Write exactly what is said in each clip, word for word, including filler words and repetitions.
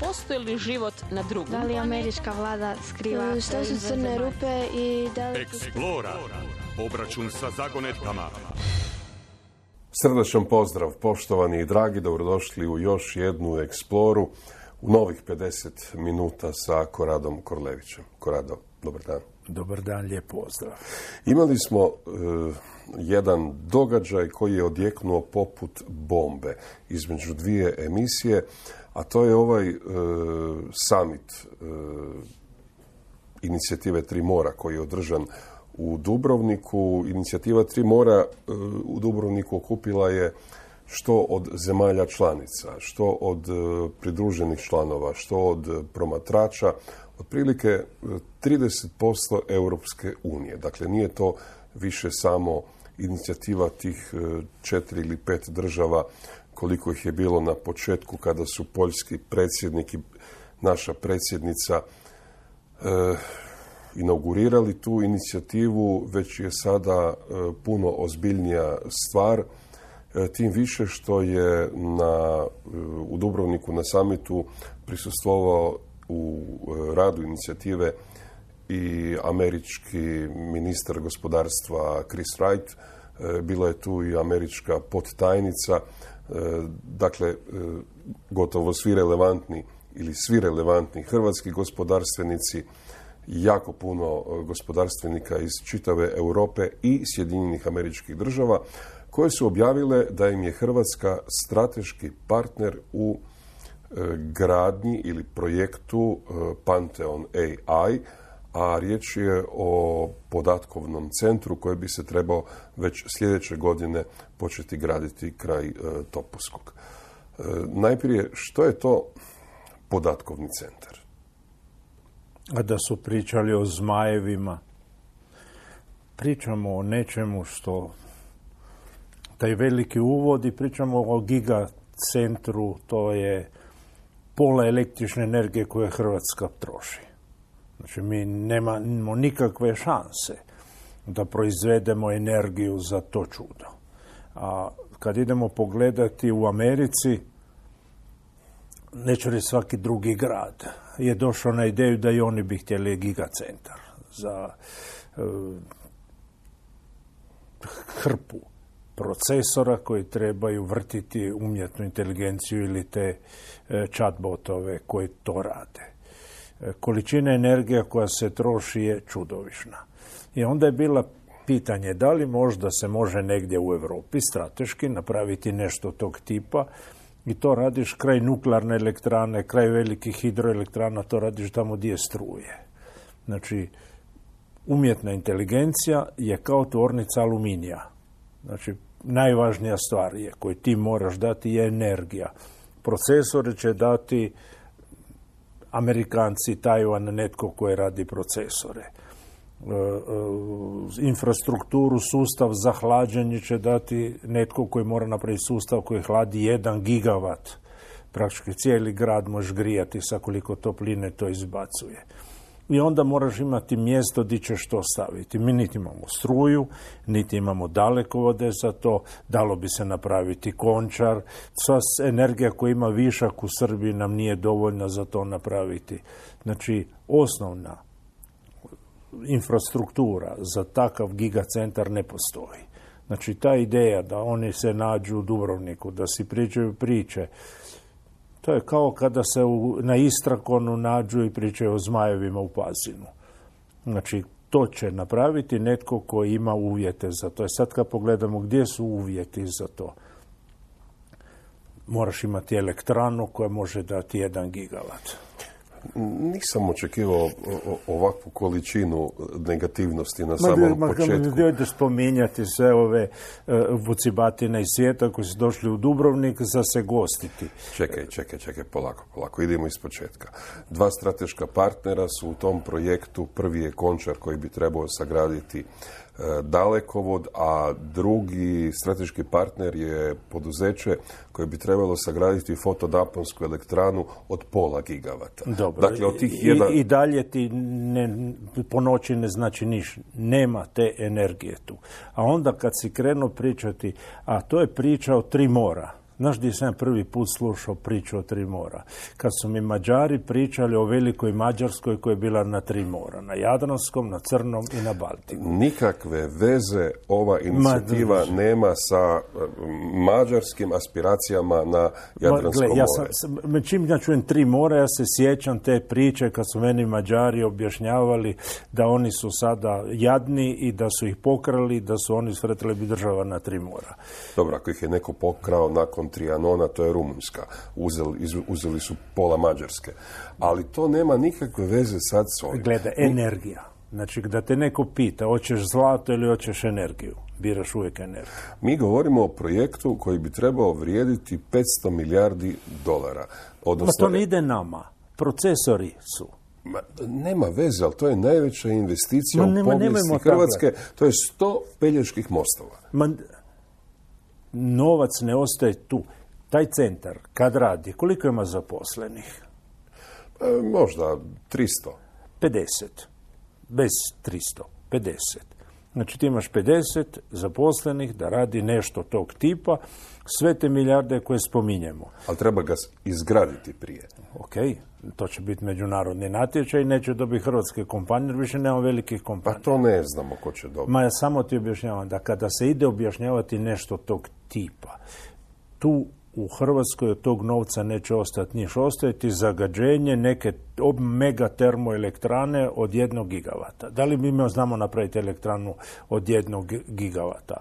postoji li život na drugom? Da li američka vlada skriva? Šta su crne rupe i da li... Eksplora. Obračun sa zagonetkama. Srdačan pozdrav, poštovani i dragi, dobrodošli u još jednu eksploru u novih pedeset minuta sa Koradom Korlevićem. Korado, dobar dan. Dobar dan, lijep pozdrav. Imali smo e, jedan događaj koji je odjeknuo poput bombe između dvije emisije, a to je ovaj e, summit e, inicijative Tri mora koji je održan u Dubrovniku. Inicijativa Tri mora e, u Dubrovniku okupila je što od zemalja članica, što od e, pridruženih članova, što od promatrača, otprilike trideset posto Europske unije. Dakle, nije to više samo inicijativa tih četiri ili pet država koliko ih je bilo na početku kada su poljski predsjednik i naša predsjednica e, inaugurirali tu inicijativu, već je sada e, puno ozbiljnija stvar, e, tim više što je na, e, u Dubrovniku na samitu prisustvovao u radu inicijative i američki ministar gospodarstva Chris Wright, bila je tu i američka podtajnica, dakle gotovo svi relevantni ili svi relevantni hrvatski gospodarstvenici, jako puno gospodarstvenika iz čitave Europe i Sjedinjenih Američkih Država, koje su objavile da im je Hrvatska strateški partner u gradnji ili projektu Pantheon A I, a riječ je o podatkovnom centru koji bi se trebao već sljedeće godine početi graditi kraj Topuskog. Najprije, što je to podatkovni centar? A da su pričali o zmajevima, pričamo o nečemu što taj veliki uvod i pričamo o gigacentru, to je pola električne energije koje Hrvatska troši. Znači, mi nemamo nikakve šanse da proizvedemo energiju za to čudo. A kad idemo pogledati u Americi, neće li svaki drugi grad je došao na ideju da i oni bi htjeli gigacentar za uh, hrpu procesora koji trebaju vrtiti umjetnu inteligenciju ili te e, chatbotove koji to rade. E, količina energije koja se troši je čudovišna. I onda je bila pitanje da li možda se može negdje u Europi strateški napraviti nešto tog tipa i to radiš kraj nuklearne elektrane, kraj velikih hidroelektrana, to radiš tamo gdje je struje. Znači, umjetna inteligencija je kao tvornica aluminija. Znači, najvažnija stvar je koju ti moraš dati je energija. Procesore će dati Amerikanci, Tajvan, netko koji radi procesore. E, e, infrastrukturu, sustav za hlađenje će dati netko koji mora napraviti sustav koji hladi jedan gigavat. Praktički cijeli grad možeš grijati sa koliko topline to izbacuje. I onda moraš imati mjesto gdje ćeš to staviti. Mi niti imamo struju, niti imamo dalekovode za to, dalo bi se napraviti Končar. Sva energija koja ima višak u Srbiji nam nije dovoljna za to napraviti. Znači, osnovna infrastruktura za takav gigacentar ne postoji. Znači, ta ideja da oni se nađu u Dubrovniku, da si pričaju priče, to je kao kada se u, na Istrakonu nađu i pričaju o zmajevima u Pazinu. Znači, to će napraviti netko koji ima uvjete za to. I sad kad pogledamo gdje su uvjeti za to, moraš imati elektranu koja može dati jedan gigavat. Nisam očekivao ovakvu količinu negativnosti na samom ma, početku. Ma da spominjati sve ove uh, vucibatine iz svijeta koji su došli u Dubrovnik za se gostiti. Čekaj, čekaj, čekaj, polako, polako. Idemo iz početka. Dva strateška partnera su u tom projektu. Prvi je Končar koji bi trebao sagraditi dalekovod, a drugi strateški partner je poduzeće koje bi trebalo sagraditi fotonaponsku elektranu od pola gigavata. Dobro, dakle, od tih jedan... I, i dalje ti ne, po noći ne znači niš. Nema te energije tu. A onda kad si krenuo pričati, a to je priča o Tri mora. Znaš gdje sam prvi put slušao priču o tri mora? Kad su mi Mađari pričali o velikoj Mađarskoj koja je bila na tri mora. Na Jadranskom, na Crnom i na Baltiku. Nikakve veze ova inicijativa Ma, nema sa mađarskim aspiracijama na Jadransko gle, more. Ja sam, čim ja čujem tri mora, ja se sjećam te priče kad su meni Mađari objašnjavali da oni su sada jadni i da su ih pokrali, da su oni sretili bi država na tri mora. Dobro, ako ih je neko pokrao nakon Trianona, to je Rumunjska. Uzeli, uzeli su pola Mađarske. Ali to nema nikakve veze sad s ovim. Gleda, energija. Znači, da te neko pita, hoćeš zlato ili hoćeš energiju, biraš uvijek energiju. Mi govorimo o projektu koji bi trebao vrijediti petsto milijardi dolara. Odnosno, Ma to ne ide nama. Procesori su. Ma, nema veze, ali to je najveća investicija Ma, u nema, povijesti Hrvatske. Tako. To je sto Peljeških mostova. Ma, novac ne ostaje tu. Taj centar, kad radi, koliko ima zaposlenih? E, možda tristo. pedeset. Bez tristo. pedeset. Znači ti imaš pedeset zaposlenih da radi nešto tog tipa, sve te milijarde koje spominjemo. Ali treba ga izgraditi prije. Ok, to će biti međunarodni natječaj, neće dobiti hrvatske kompanije, jer više nema velikih kompanija. Pa to ne znamo ko će dobiti. Ma ja samo ti objašnjavam da kada se ide objašnjavati nešto tog tipa, tu u Hrvatskoj od tog novca neće ostati niš, ostajeti zagađenje neke mega termoelektrane od jednog gigavata. Da li mi imamo znamo napraviti elektranu od jednog gigavata?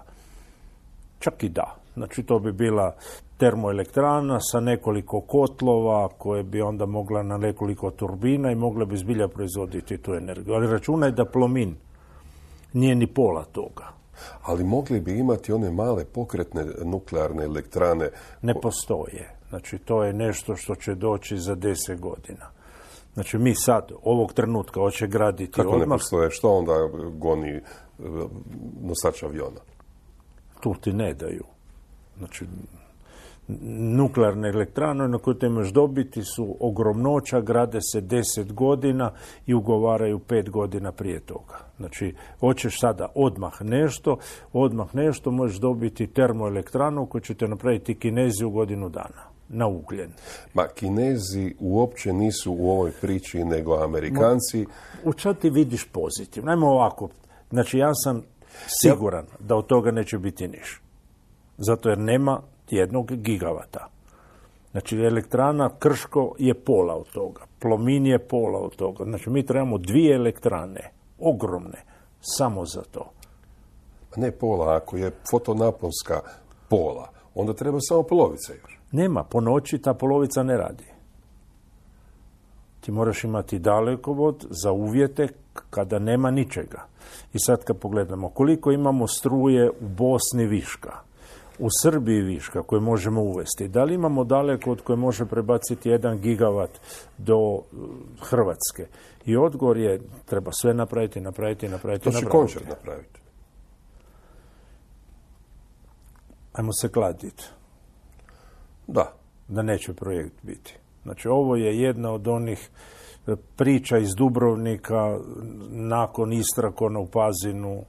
Čak i da. Znači to bi bila termoelektrana sa nekoliko kotlova koje bi onda mogla na nekoliko turbina i mogla bi zbilja proizvoditi tu energiju. Ali računaj da Plomin nije ni pola toga. Ali mogli bi imati one male pokretne nuklearne elektrane. Ne postoje. Znači, to je nešto što će doći za deset godina. Znači, mi sad, ovog trenutka, hoće graditi Kako odmah. ne postoje? Što onda goni nosač aviona? Tu ti ne daju. Znači, nuklearne elektrane na koje te imaš dobiti su ogromnoća, grade se deset godina i ugovaraju pet godina prije toga. Znači, hoćeš sada odmah nešto, odmah nešto možeš dobiti termoelektranu koju ćete napraviti Kinezi u godinu dana, na ugljen. Ma, Kinezi uopće nisu u ovoj priči, nego Amerikanci. U čemu ti vidiš pozitivno? Ajmo ovako, znači ja sam siguran da od toga neće biti niš. Zato jer nema jednog gigavata. Znači, elektrana Krško je pola od toga. Plomin je pola od toga. Znači, mi trebamo dvije elektrane, ogromne, samo za to. Ne pola, ako je fotonaponska pola, onda treba samo polovica još. Nema, po noći ta polovica ne radi. Ti moraš imati dalekovod za uvjete kada nema ničega. I sad kad pogledamo koliko imamo struje u Bosni viška, u Srbiji viška koje možemo uvesti. Da li imamo daleko od koje može prebaciti jedan gigavat do Hrvatske? I odgovor je, treba sve napraviti, napraviti, napraviti, to će napraviti. Končar napraviti. Ajmo se kladiti. Da. Da neće projekt biti. Znači, ovo je jedna od onih priča iz Dubrovnika nakon Istrakona u Pazinu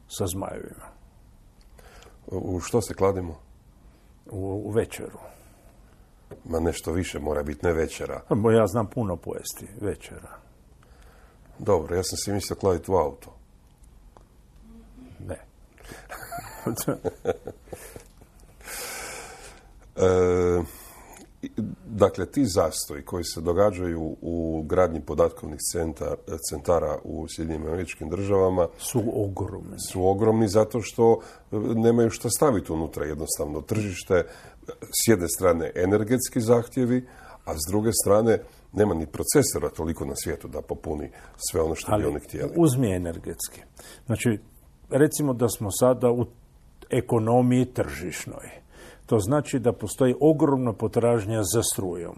sa zmajevima. U što se kladimo? U, u večeru. Ma nešto više mora biti, ne večera. Bo ja znam puno pojesti večera. Dobro, ja sam si mislio kladiti u auto. Ne. e, dakle, ti zastoji koji se događaju u gradnji podatkovnih centar, centara u Sjedinjenim Američkim Državama su ogromni. Su ogromni zato što nemaju šta staviti unutra jednostavno. Tržište, s jedne strane energetski zahtjevi, a s druge strane nema ni procesora toliko na svijetu da popuni sve ono što Ali bi oni htjeli. Uzmi energetski. Znači, recimo da smo sada u ekonomiji tržišnoj. To znači da postoji ogromna potražnja za strujom.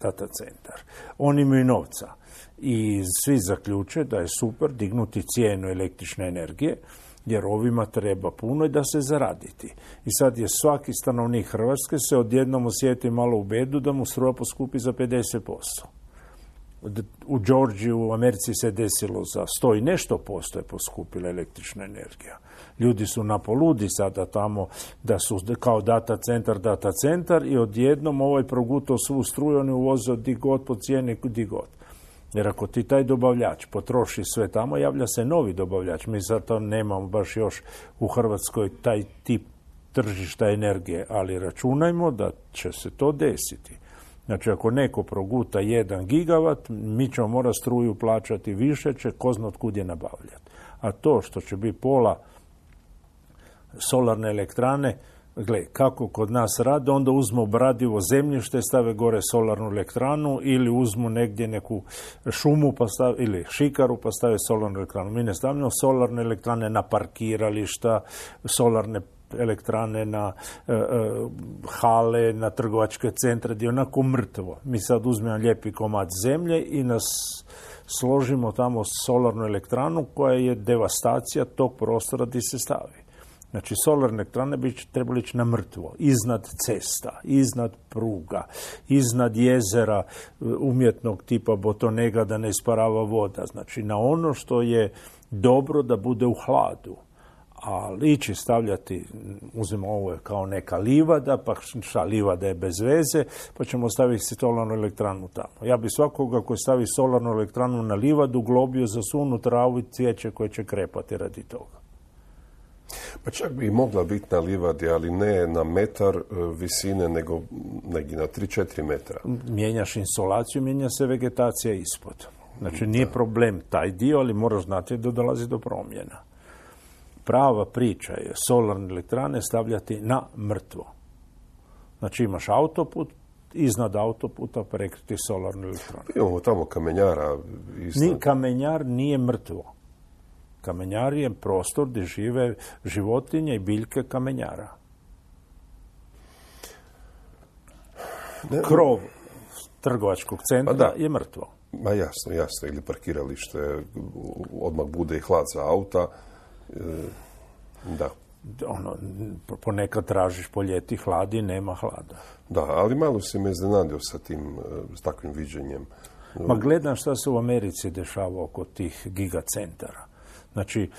Data centar. Oni imaju novca. I svi zaključe da je super dignuti cijenu električne energije, jer ovima treba puno i da se zaraditi. I sad je svaki stanovnik Hrvatske se odjednom osjeti malo u bedu da mu struja poskupi za pedeset posto. U Georgiji, u Americi se desilo za sto i nešto posto je poskupila električna energija. Ljudi su napoludi sada tamo da su kao data centar, data centar i odjednom ovaj progutao svu struju, oni uvoze di god po cijeni, di god. Jer ako ti taj dobavljač potroši sve tamo, javlja se novi dobavljač. Mi zato nemamo baš još u Hrvatskoj taj tip tržišta energije, ali računajmo da će se to desiti. Znači, ako neko proguta jedan gigavat, mi ćemo morati struju plaćati više, će ko zna otkud je nabavljati. A to što će biti pola solarne elektrane, gle, kako kod nas rade, onda uzmu obradivo zemljište, stave gore solarnu elektranu ili uzmu negdje neku šumu pa stave, ili šikaru pa stave solarnu elektranu. Mi ne stavljamo solarne elektrane na parkirališta, solarne elektrane na e, e, hale, na trgovačke centre, gdje je onako mrtvo. Mi sad uzmemo lijepi komad zemlje i nas složimo tamo solarnu elektranu koja je devastacija tog prostora gdje se stavi. Znači, solarne elektrane bi trebali ići na mrtvo, iznad cesta, iznad pruga, iznad jezera umjetnog tipa botonega da ne isparava voda. Znači, na ono što je dobro da bude u hladu. Ali ići stavljati, uzmemo ovo kao neka livada, pa šta, livada je bez veze, pa ćemo staviti solarnu elektranu tamo. Ja bi svakoga koji stavi solarnu elektranu na livadu globio za sunu travu i cvijeće koje će krepati radi toga. Pa čak bi mogla biti na livadi, ali ne na metar visine, nego negdje na tri do četiri metra. Mijenjaš insolaciju, mijenja se vegetacija ispod. Znači, nije problem taj dio, ali moraš znati da dolazi do promjena. Prava priča je solarne elektrane stavljati na mrtvo. Znači, imaš autoput, iznad autoputa prekriti solarnu elektranu. Imamo tamo kamenjara. Iznad. Ni, kamenjar nije mrtvo. Kamenjar je prostor gdje žive životinje i biljke kamenjara. Ne, Krov trgovačkog centra da. je mrtvo. Ma jasno, jasno. Ili parkiralište, odmah bude i hlad za auta. Da. Ono, ponekad tražiš po ljeti hladi, nema hlada. Da, ali malo si me iznenadio sa tim, s takvim viđenjem. Ma gledam šta se u Americi dešava oko tih gigacentara. Znači,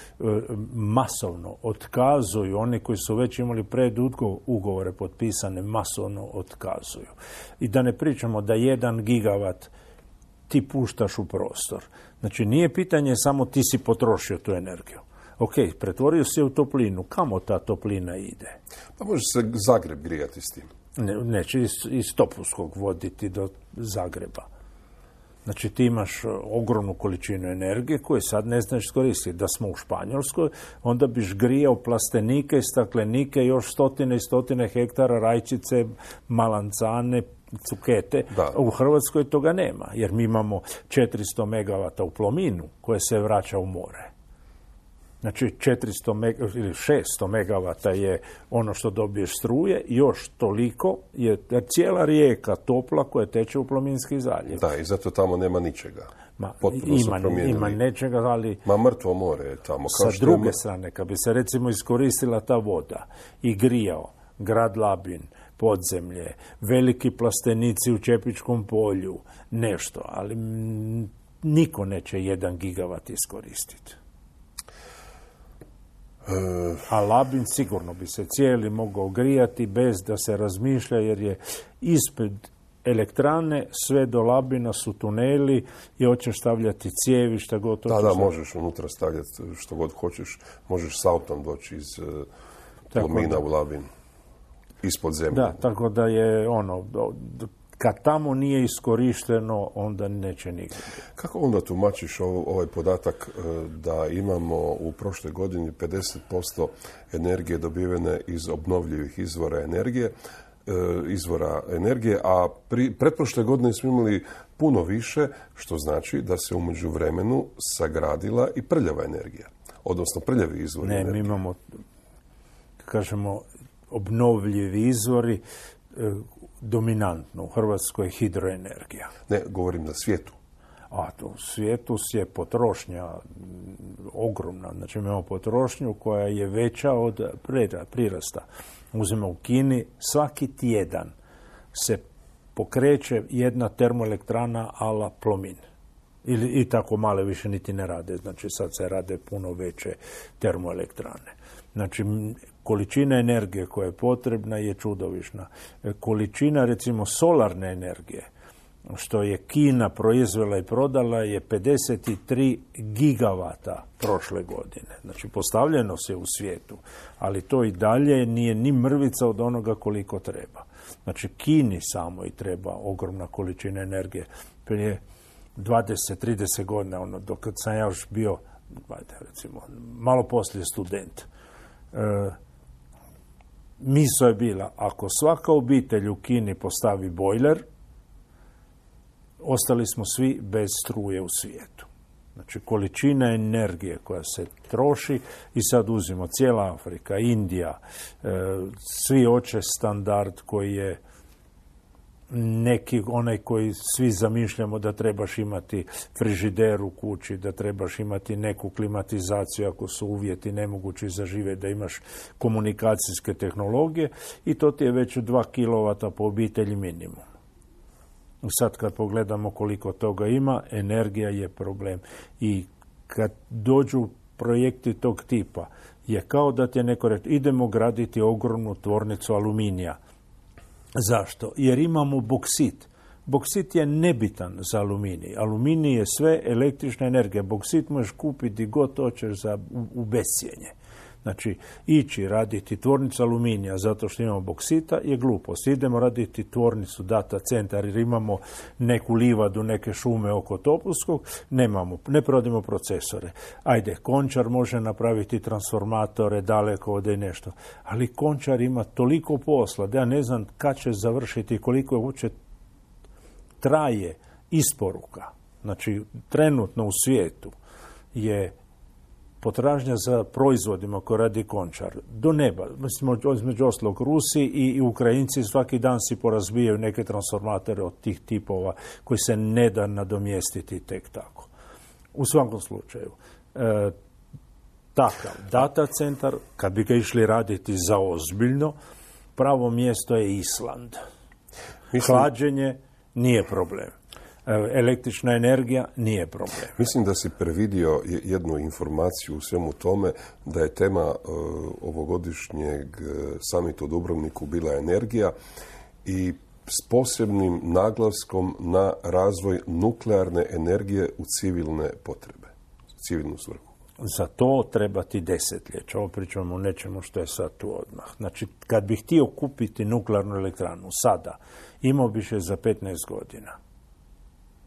masovno otkazuju, oni koji su već imali predugovore potpisane, masovno otkazuju. I da ne pričamo da jedan gigavat ti puštaš u prostor. Znači, nije pitanje samo ti si potrošio tu energiju. Ok, pretvorio se u toplinu. Kamo ta toplina ide? Pa može se Zagreb grijati s tim. Ne, neće iz, iz Topuskog voditi do Zagreba. Znači, ti imaš ogromnu količinu energije koju sad ne znaš iskoristiti. Da smo u Španjolskoj, onda biš grijao plastenike i staklenike, još stotine i stotine hektara rajčice, malancane, cukete. Da. U Hrvatskoj toga nema, jer mi imamo četiristo megavata u Plominu koje se vraća u more. Znači, četiristo ili šesto megavata je ono što dobiješ struje, još toliko je cijela rijeka topla koja teče u Plominski zaljev. Da, i zato tamo nema ničega. Ma, ima, ima nečega, ali... Ma mrtvo more je tamo. Kao sa druge je... strane, kad bi se recimo iskoristila ta voda i grijao grad Labin, podzemlje, veliki plastenici u Čepičkom polju, nešto, ali m, niko neće jedan gigavat iskoristiti. A Labin sigurno bi se cijeli mogao grijati bez da se razmišlja, jer je ispred elektrane sve do Labina su tuneli i hoćeš stavljati cijevi, šta god. Da, da, možeš unutra stavljati što god hoćeš. Možeš s autom doći iz Plomina u Labin. Ispod zemlje. Da, tako da je ono... Kad tamo nije iskorišteno, onda neće nigdje. Kako onda tumačiš ovaj podatak da imamo u prošloj godini pedeset posto energije dobivene iz obnovljivih izvora energije, izvora energije, a pri, pretprošle godine smo imali puno više, što znači da se u međuvremenu sagradila i prljava energija, odnosno prljavi izvori ne, energije. Ne, mi imamo, kažemo, obnovljivi izvori, dominantno u Hrvatskoj je hidroenergija. Ne, govorim na svijetu. A to u svijetu je potrošnja ogromna. Znači imamo potrošnju koja je veća od prirasta. Uzmemo u Kini, svaki tjedan se pokreće jedna termoelektrana ala Plomin. Ili, i tako male više niti ne rade. Znači sad se rade puno veće termoelektrane. Znači količina energije koja je potrebna je čudovišna. Količina recimo solarne energije što je Kina proizvela i prodala je pedeset tri gigavata prošle godine. Znači postavljeno se u svijetu, ali to i dalje nije ni mrvica od onoga koliko treba. Znači Kini samo i treba ogromna količina energije. Prije dvadeset trideset godina, ono, dok sam ja još bio, ajde, recimo, malo poslije student, e, misao je bila, ako svaka obitelj u Kini postavi bojler, ostali smo svi bez struje u svijetu. Znači, količina energije koja se troši i sad uzimo cijela Afrika, Indija, e, svi hoće standard koji je neki, onaj koji svi zamišljamo da trebaš imati frižider u kući, da trebaš imati neku klimatizaciju ako su uvjeti nemogući za žive, da imaš komunikacijske tehnologije i to ti je već dva kilovata po obitelji minimum. Sad kad pogledamo koliko toga ima, energija je problem. I kad dođu projekti tog tipa, je kao da ti je neko reći, idemo graditi ogromnu tvornicu aluminija. Zašto? Jer imamo boksit. Boksit je nebitan za aluminij. Aluminij je sve električna energija. Boksit možeš kupiti god hoćeš za, u, u bescijenje. Znači, ići raditi tvornicu aluminija zato što imamo boksita je glupost. Idemo raditi tvornicu data centar jer imamo neku livadu, neke šume oko Topuskog, nemamo, ne prodimo procesore. Ajde, Končar može napraviti transformatore, dalekovode i nešto. Ali Končar ima toliko posla da ja ne znam kad će završiti, koliko je uopće traje isporuka. Znači, trenutno u svijetu je potražnja za proizvodima koje radi Končar do neba. Mislim, između ostalog Rusi i, i Ukrajinci svaki dan si porazbijaju neke transformatore od tih tipova koji se ne da nadomjestiti tek tako. U svakom slučaju, e, takav data centar, kad bi ga išli raditi za ozbiljno, pravo mjesto je Island. Mislim, hlađenje nije problem. Električna energija nije problem. Mislim da si previdio jednu informaciju u svemu tome, da je tema uh, ovogodišnjeg samita u Dubrovniku bila energija i s posebnim naglaskom na razvoj nuklearne energije u civilne potrebe, civilnu svrhu. Za to treba ti desetljeća. Ovo pričamo o nečemu što je sad tu odmah. Znači, kad bih htio kupiti nuklearnu elektranu sada, imao biš je za petnaest godina.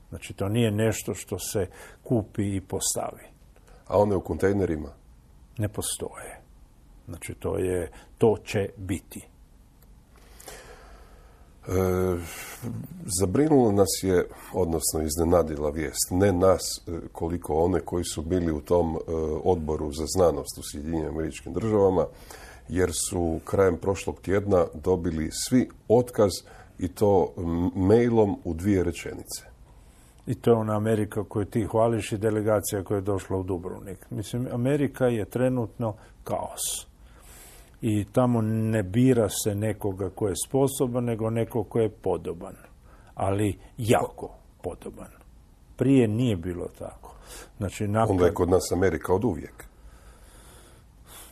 Znači, to nije nešto što se kupi i postavi. A one u kontejnerima? Ne postoje. Znači, to je, to će biti. E, zabrinulo nas je, odnosno iznenadila vijest, ne nas koliko one koji su bili u tom e, odboru za znanost u Sjedinjenim Američkim Državama, jer su krajem prošlog tjedna dobili svi otkaz i to mailom u dvije rečenice. I to je ona Amerika koju ti hvališ i delegacija koja je došla u Dubrovnik. Mislim, Amerika je trenutno kaos. I tamo ne bira se nekoga ko je sposoban, nego neko ko je podoban. Ali jako podoban. Prije nije bilo tako. Znači, nakon... Onda je kod nas Amerika od uvijek.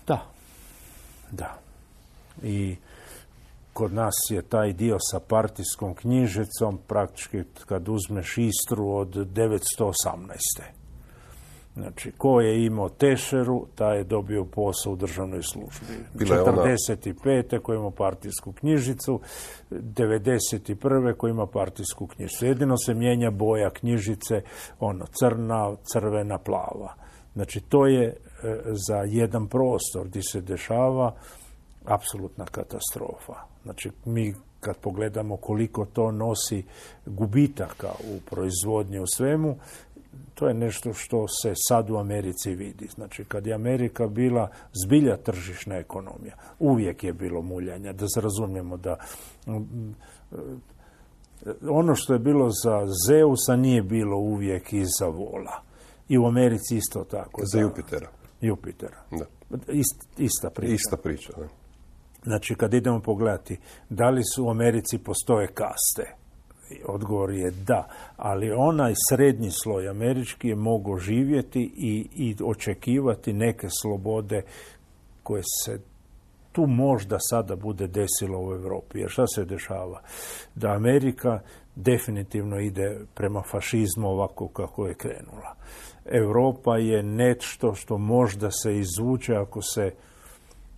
Da. Da. I kod nas je taj dio sa partijskom knjižicom praktički kad uzmeš Istru od devetsto osamnaeste. Znači, ko je imao tešeru, taj je dobio posao u državnoj službi. četrdeset pete ko je imao partijsku knjižicu, devedeset prve ko ima partijsku knjižicu. Jedino se mijenja boja knjižice, ono, crna, crvena, plava. Znači, to je e, za jedan prostor gdje se dešava apsolutna katastrofa. Znači, mi kad pogledamo koliko to nosi gubitaka u proizvodnji u svemu, to je nešto što se sad u Americi vidi. Znači, kad je Amerika bila zbilja tržišna ekonomija, uvijek je bilo muljanja, da se razumijemo da ono što je bilo za Zeusa nije bilo uvijek i za vola. I u Americi isto tako. Za Jupitera. Jupitera. Da. Ist, ista priča. Ista priča, da. Znači, kad idemo pogledati da li su u Americi postoje kaste Odgovor je da, ali onaj srednji sloj američki je mogao živjeti i, i očekivati neke slobode koje se tu možda sada bude desilo u Europi. Jer šta se dešava? Da Amerika definitivno ide prema fašizmu ovako kako je krenula. Europa je nešto što možda se izvuče ako se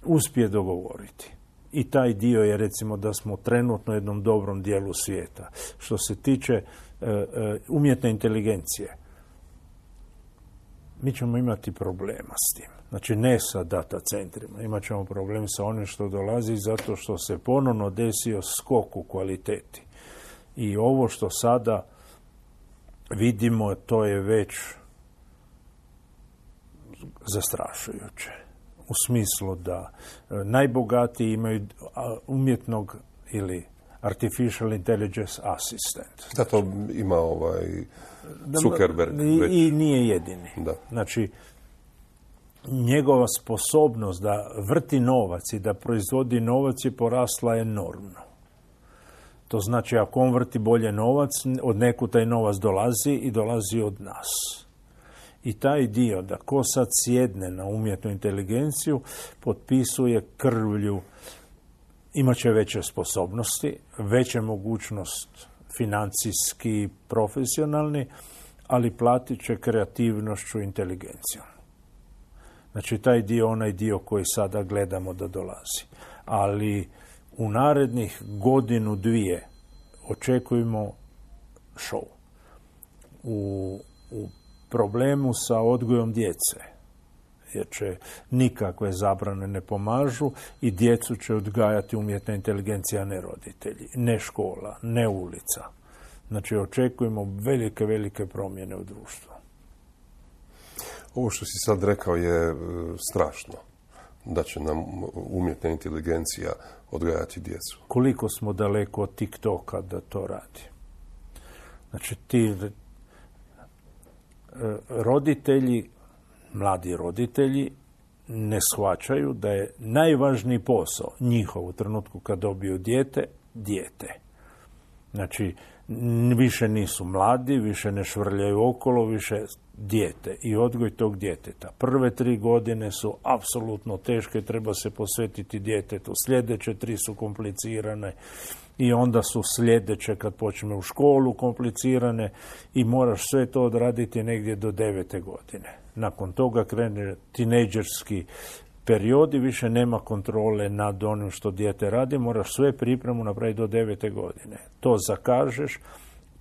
uspije dogovoriti. I taj dio je, recimo, da smo trenutno u jednom dobrom dijelu svijeta. Što se tiče e, e, umjetne inteligencije, mi ćemo imati problema s tim. Znači, ne sa data centrima. Imat ćemo problem sa onim što dolazi zato što se ponovno desio skok u kvaliteti. I ovo što sada vidimo, to je već zastrašujuće. U smislu da najbogatiji imaju umjetnog ili artificial intelligence assistant. Da, to ima ovaj Zuckerberg I, već. I nije jedini. Da. Znači, njegova sposobnost da vrti novac i da proizvodi novac je porasla enormno. To znači, ako on vrti bolje novac, od nekud taj novac dolazi i dolazi od nas. I taj dio da ko sad sjedne na umjetnu inteligenciju, potpisuje krvlju, imat će veće sposobnosti, veće mogućnost financijski, profesionalni, ali platit će kreativnošću i inteligencijom. Znači, taj dio, onaj dio koji sada gledamo da dolazi. Ali u narednih godinu, dvije očekujemo show. U, u problemu sa odgojom djece, jer će nikakve zabrane ne pomažu i djecu će odgajati umjetna inteligencija, a ne roditelji, ne škola, ne ulica. Znači, očekujemo velike, velike promjene u društvu. Ovo što si sad rekao je e, strašno, da će nam umjetna inteligencija odgajati djecu. Koliko smo daleko od TikToka da to radi? Znači, ti roditelji, mladi roditelji, ne shvaćaju da je najvažniji posao njihov u trenutku kad dobiju dijete, dijete. Znači, više nisu mladi, više ne švrljaju okolo, više dijete i odgoj tog djeteta. Prve tri godine su apsolutno teške, treba se posvetiti djetetu. Sljedeće tri su komplicirane i onda su sljedeće kad počne u školu komplicirane i moraš sve to odraditi negdje do devete godine. Nakon toga krene tinejdžerski period i više nema kontrole nad onim što dijete radi, moraš sve pripremu napraviti do devete godine. To zakažeš,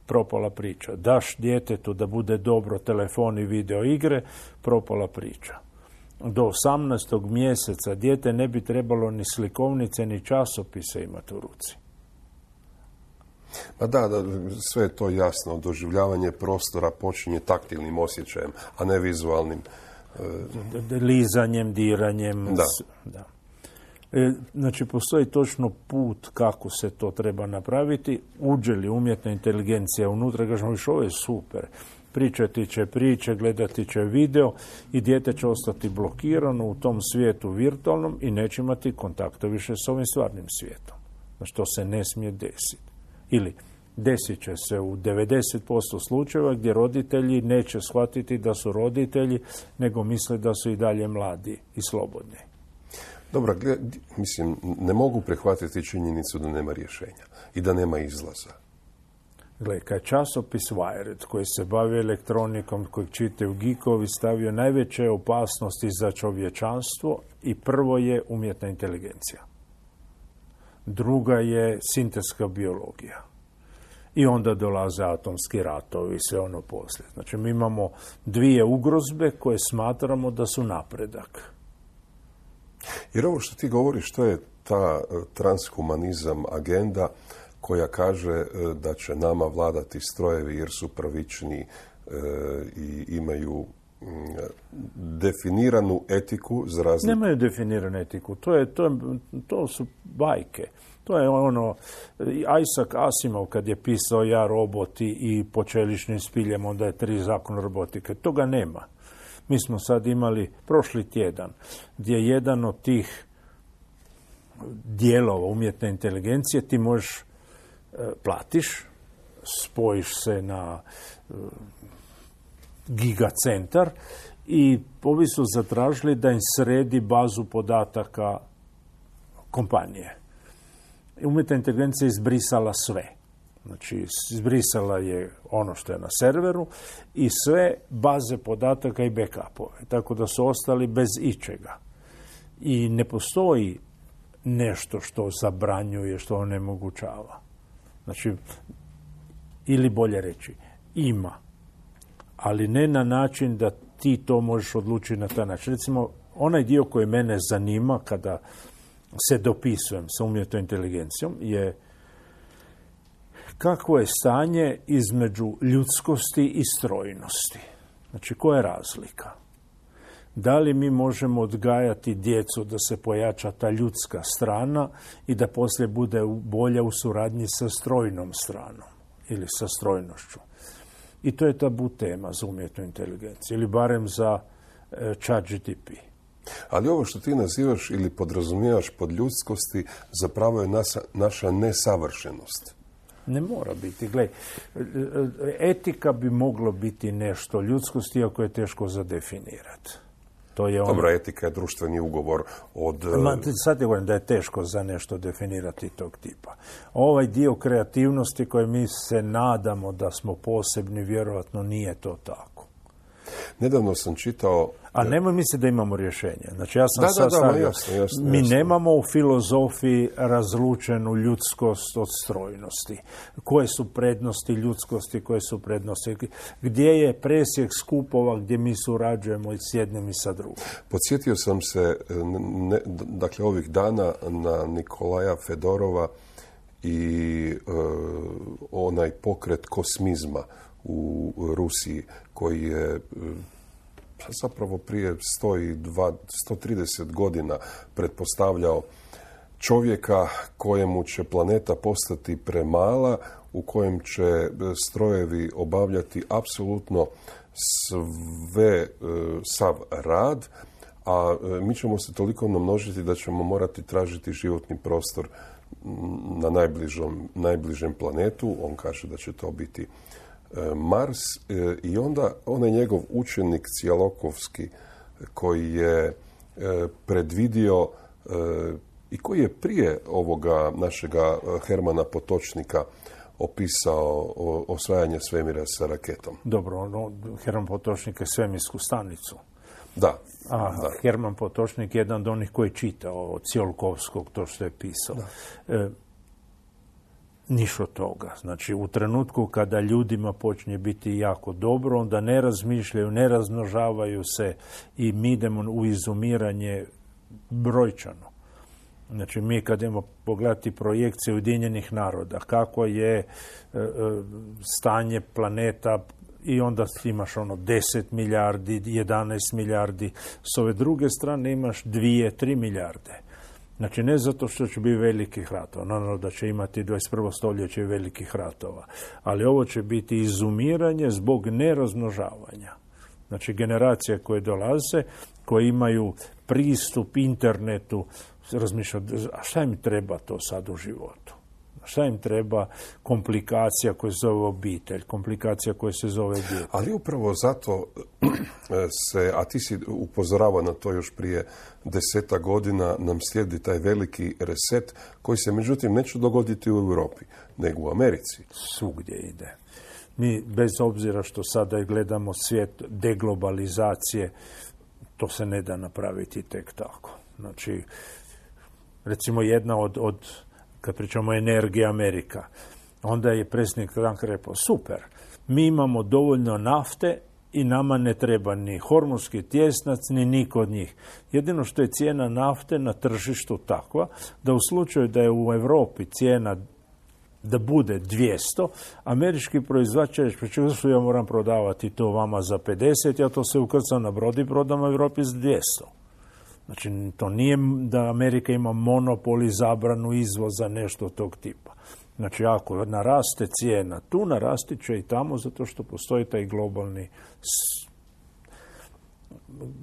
propala priča. Daš djetetu da bude dobro telefon i video igre, propala priča. Do osamnaestog mjeseca dijete ne bi trebalo ni slikovnice ni časopise imati u ruci. Pa da, da, sve je to jasno. Doživljavanje prostora počinje taktilnim osjećajem, a ne vizualnim. E... Lizanjem, diranjem. Da. Da. E, znači, postoji točno put kako se to treba napraviti. Uđe li umjetna inteligencija unutra, kažemo, viš, ovo je super. Pričati će priče, gledati će video i dijete će ostati blokirano u tom svijetu virtualnom i neće imati kontakta više s ovim stvarnim svijetom. Znači, to se ne smije desiti. Ili desit će se u devedeset posto slučajeva gdje roditelji neće shvatiti da su roditelji, nego misle da su i dalje mladi i slobodni. Dobro, mislim, ne mogu prihvatiti činjenicu da nema rješenja i da nema izlaza. Gle, kad časopis Wired, koji se bavi elektronikom, kojeg čitaju geekovi, stavio najveće opasnosti za čovječanstvo i prvo je umjetna inteligencija. Druga je sintetska biologija. I onda dolaze atomski ratovi i sve ono poslije. Znači, mi imamo dvije ugrozbe koje smatramo da su napredak. Jer ovo što ti govoriš, to je ta transhumanizam agenda koja kaže da će nama vladati strojevi jer su pravični e, i imaju m, definiranu etiku za razliku. Nemaju definiranu etiku. To, je, to, je, to su bajke. To je ono, Isaac Asimov kad je pisao Ja, roboti i po čeličnim spiljem, onda je tri zakon robotike. Toga nema. Mi smo sad imali prošli tjedan gdje jedan od tih dijelova umjetne inteligencije ti možeš, platiš spojiš se na uh, gigacentar i ovi su zatražili da im sredi bazu podataka kompanije. Umjetna inteligencija je izbrisala sve. Znači, izbrisala je ono što je na serveru i sve baze podataka i backupove. Tako da su ostali bez ičega. I ne postoji nešto što zabranjuje, što onemogućava. Znači, ili bolje reći, ima. Ali ne na način da ti to možeš odlučiti na taj način. Recimo, onaj dio koji mene zanima kada se dopisujem sa umjetnom inteligencijom je kakvo je stanje između ljudskosti i strojnosti. Znači, koja je razlika? Da li mi možemo odgajati djecu da se pojača ta ljudska strana i da poslije bude bolja u suradnji sa strojnom stranom ili sa strojnošću? I to je tabu tema za umjetnu inteligenciju, ili barem za e, chat G T P. Ali ovo što ti nazivaš ili podrazumijevaš pod ljudskosti zapravo je nasa, naša nesavršenost. Ne mora biti. Gle, etika bi moglo biti nešto ljudskosti, iako je teško zadefinirati. To je ono... Dobro, etika je društveni ugovor od... Ma, sad je govorim da je teško za nešto definirati tog tipa. Ovaj dio kreativnosti koje mi se nadamo da smo posebni, vjerojatno nije to tako. Nedavno sam čitao... A nemoj misliti da imamo rješenje. Znači, ja sam da, sad da, da, stavio, jasno, jasno, mi jasno. nemamo u filozofiji razlučenu ljudskost od strojnosti. Koje su prednosti ljudskosti, koje su prednosti, gdje je presjek skupova gdje mi surađujemo i s jednim i sa drugim. Podsjetio sam se, ne, dakle, ovih dana na Nikolaja Fedorova i e, onaj pokret kosmizma u Rusiji, koji je zapravo prije sto trideset godina pretpostavljao čovjeka kojemu će planeta postati premala, u kojem će strojevi obavljati apsolutno sve, sav rad, a mi ćemo se toliko namnožiti da ćemo morati tražiti životni prostor na najbližom, najbližem planetu. On kaže da će to biti Mars, i onda onaj njegov učenik Cijalokovski koji je predvidio i koji je prije ovoga našega Hermana Potočnika opisao osvajanje svemira sa raketom. Dobro, ono, Herman Potočnik je svemirsku stanicu. Da. A da. Herman Potočnik je jedan od onih koji je čitao od Cijalokovskog to što je pisao. E, Niš od toga. Znači, u trenutku kada ljudima počne biti jako dobro, onda ne razmišljaju, ne razmnožavaju se i mi idemo u izumiranje brojčano. Znači, mi kad idemo pogledati projekcije Ujedinjenih naroda, kako je e, e, stanje planeta, i onda imaš ono deset milijardi, jedanaest milijardi, s ove druge strane imaš dvije, tri milijarde. Znači, ne zato što će biti velikih ratova, naravno da će imati dvadeset prvo stoljeće velikih ratova, ali ovo će biti izumiranje zbog nerazmnožavanja. Znači, generacije koje dolaze, koje imaju pristup internetu, razmišljaju, a šta im treba to sad u životu? Šta im treba komplikacija koja se zove obitelj, komplikacija koja se zove dijete? Ali upravo zato se, a ti si upozoravao na to još prije deseta godina, nam slijedi taj veliki reset koji se međutim neće dogoditi u Europi, nego u Americi. Svugdje ide. Mi, bez obzira što sada gledamo svijet deglobalizacije, to se ne da napraviti tek tako. Znači, recimo jedna od, od kad pričamo o energiji Amerika, onda je predsjednik Trump rekao, super, mi imamo dovoljno nafte i nama ne treba ni hormonski tjesnac, ni niko od njih. Jedino što je cijena nafte na tržištu takva, da u slučaju da je u Europi cijena da bude dvjesto, američki proizvođač će reći, što ja moram prodavati to vama za pedeset, ja to se ukrcam na brod i prodam u Europi za dvjesto. Znači, to nije da Amerika ima monopol i zabranu izvoza, nešto tog tipa. Znači, ako naraste cijena tu, narasti će i tamo, zato što postoji taj globalni...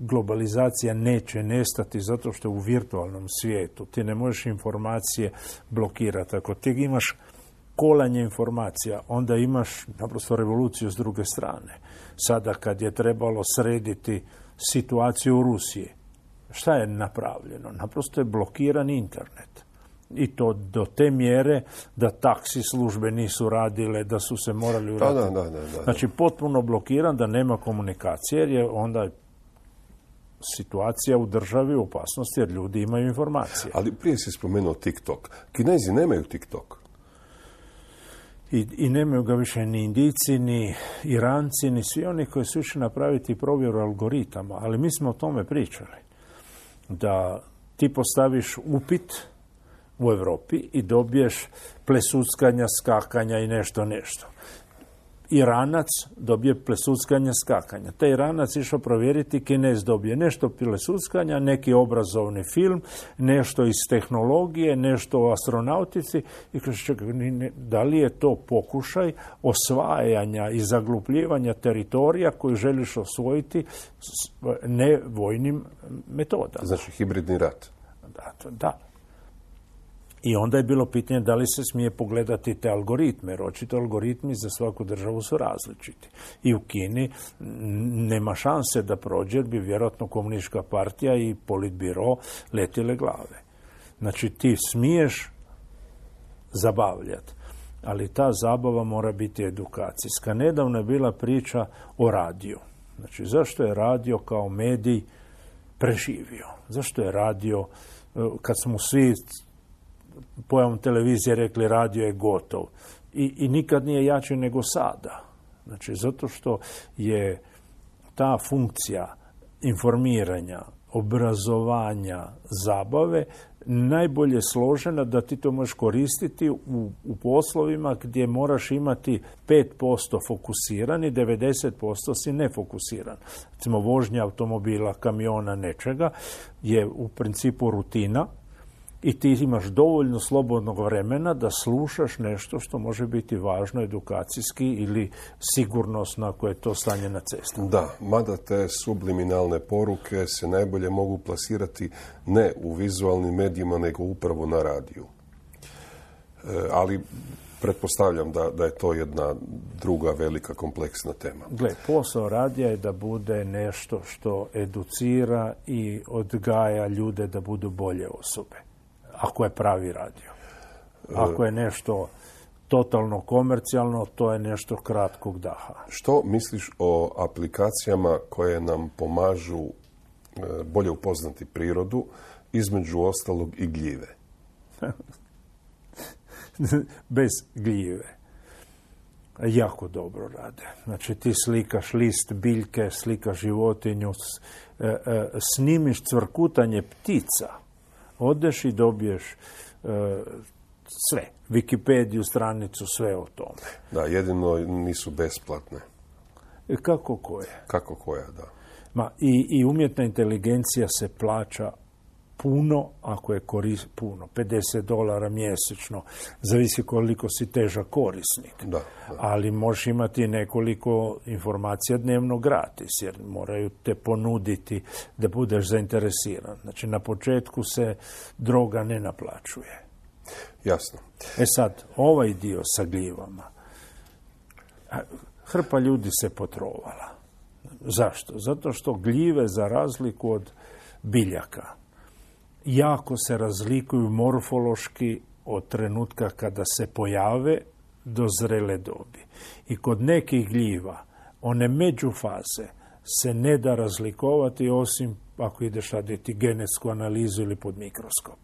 Globalizacija neće nestati zato što je u virtualnom svijetu. Ti ne možeš informacije blokirati. Ako ti imaš kolanje informacija, onda imaš naprosto revoluciju s druge strane. Sada kad je trebalo srediti situaciju u Rusiji, šta je napravljeno? Naprosto je blokiran internet. I to do te mjere da taksi službe nisu radile, da su se morali uraditi. Da, da, da, da. Znači, potpuno blokiran, da nema komunikacije, jer je onda situacija u državi u opasnosti, jer ljudi imaju informacije. Ali prije si spomenuo TikTok. Kinezi nemaju TikTok. I, I nemaju ga više ni Indijci, ni Iranci, ni svi oni koji su išli napraviti provjeru algoritama. Ali mi smo o tome pričali. Da ti postaviš upit u Europi i dobiješ plesuckanja, skakanja i nešto, nešto. Iranac dobije plesuckanja, skakanja. Taj Iranac išao provjeriti, Kinez dobije nešto plesuckanja, neki obrazovni film, nešto iz tehnologije, nešto o astronautici. I kaže, čekaj, da li je to pokušaj osvajanja i zaglupljivanja teritorija koji želiš osvojiti ne vojnim metodama? Znači, hibridni rat. Da, to, da. I onda je bilo pitanje da li se smije pogledati te algoritme, jer očito algoritmi za svaku državu su različiti. I u Kini nema šanse da prođe, jer bi vjerojatno komunistička partija i politbiro letile glave. Znači ti smiješ zabavljati, ali ta zabava mora biti edukacijska. Nedavno je bila priča o radiju. Znači zašto je radio kao medij preživio? Zašto je radio, kad smo svi pojavom televizije rekli radio je gotov. I, i nikad nije jači nego sada. Znači, zato što je ta funkcija informiranja, obrazovanja, zabave najbolje složena da ti to možeš koristiti u, u poslovima gdje moraš imati pet posto fokusiran i devedeset posto si nefokusiran. Recimo, vožnja automobila, kamiona, nečega je u principu rutina, i ti imaš dovoljno slobodnog vremena da slušaš nešto što može biti važno edukacijski ili sigurnosno ako je to stanje na cesti. Da, mada te subliminalne poruke se najbolje mogu plasirati ne u vizualnim medijima, nego upravo na radiju. E, ali pretpostavljam da, da je to jedna druga velika kompleksna tema. Gle, posao radija je da bude nešto što educira i odgaja ljude da budu bolje osobe. Ako je pravi radio. Ako je nešto totalno komercijalno, to je nešto kratkog daha. Što misliš o aplikacijama koje nam pomažu bolje upoznati prirodu, između ostalog i gljive? Bez gljive. Jako dobro rade. Znači ti slikaš list biljke, slikaš životinju, snimiš cvrkutanje ptica, odeš i dobiješ e, sve. Wikipediju, stranicu, sve o tome. Da, jedino nisu besplatne. E, kako koje? Kako koja, da. Ma, i, i umjetna inteligencija se plaća puno, ako je koris, puno, pedeset dolara mjesečno, zavisi koliko si težak korisnik. Da, da. Ali možeš imati nekoliko informacija dnevno gratis, jer moraju te ponuditi da budeš zainteresiran. Znači, na početku se droga ne naplaćuje. Jasno. E sad, ovaj dio sa gljivama, hrpa ljudi se potrovala. Zašto? Zato što gljive, za razliku od biljaka, jako se razlikuju morfološki od trenutka kada se pojave do zrele dobi. I kod nekih gljiva one međufaze se ne da razlikovati osim ako ideš raditi genetsku analizu ili pod mikroskop.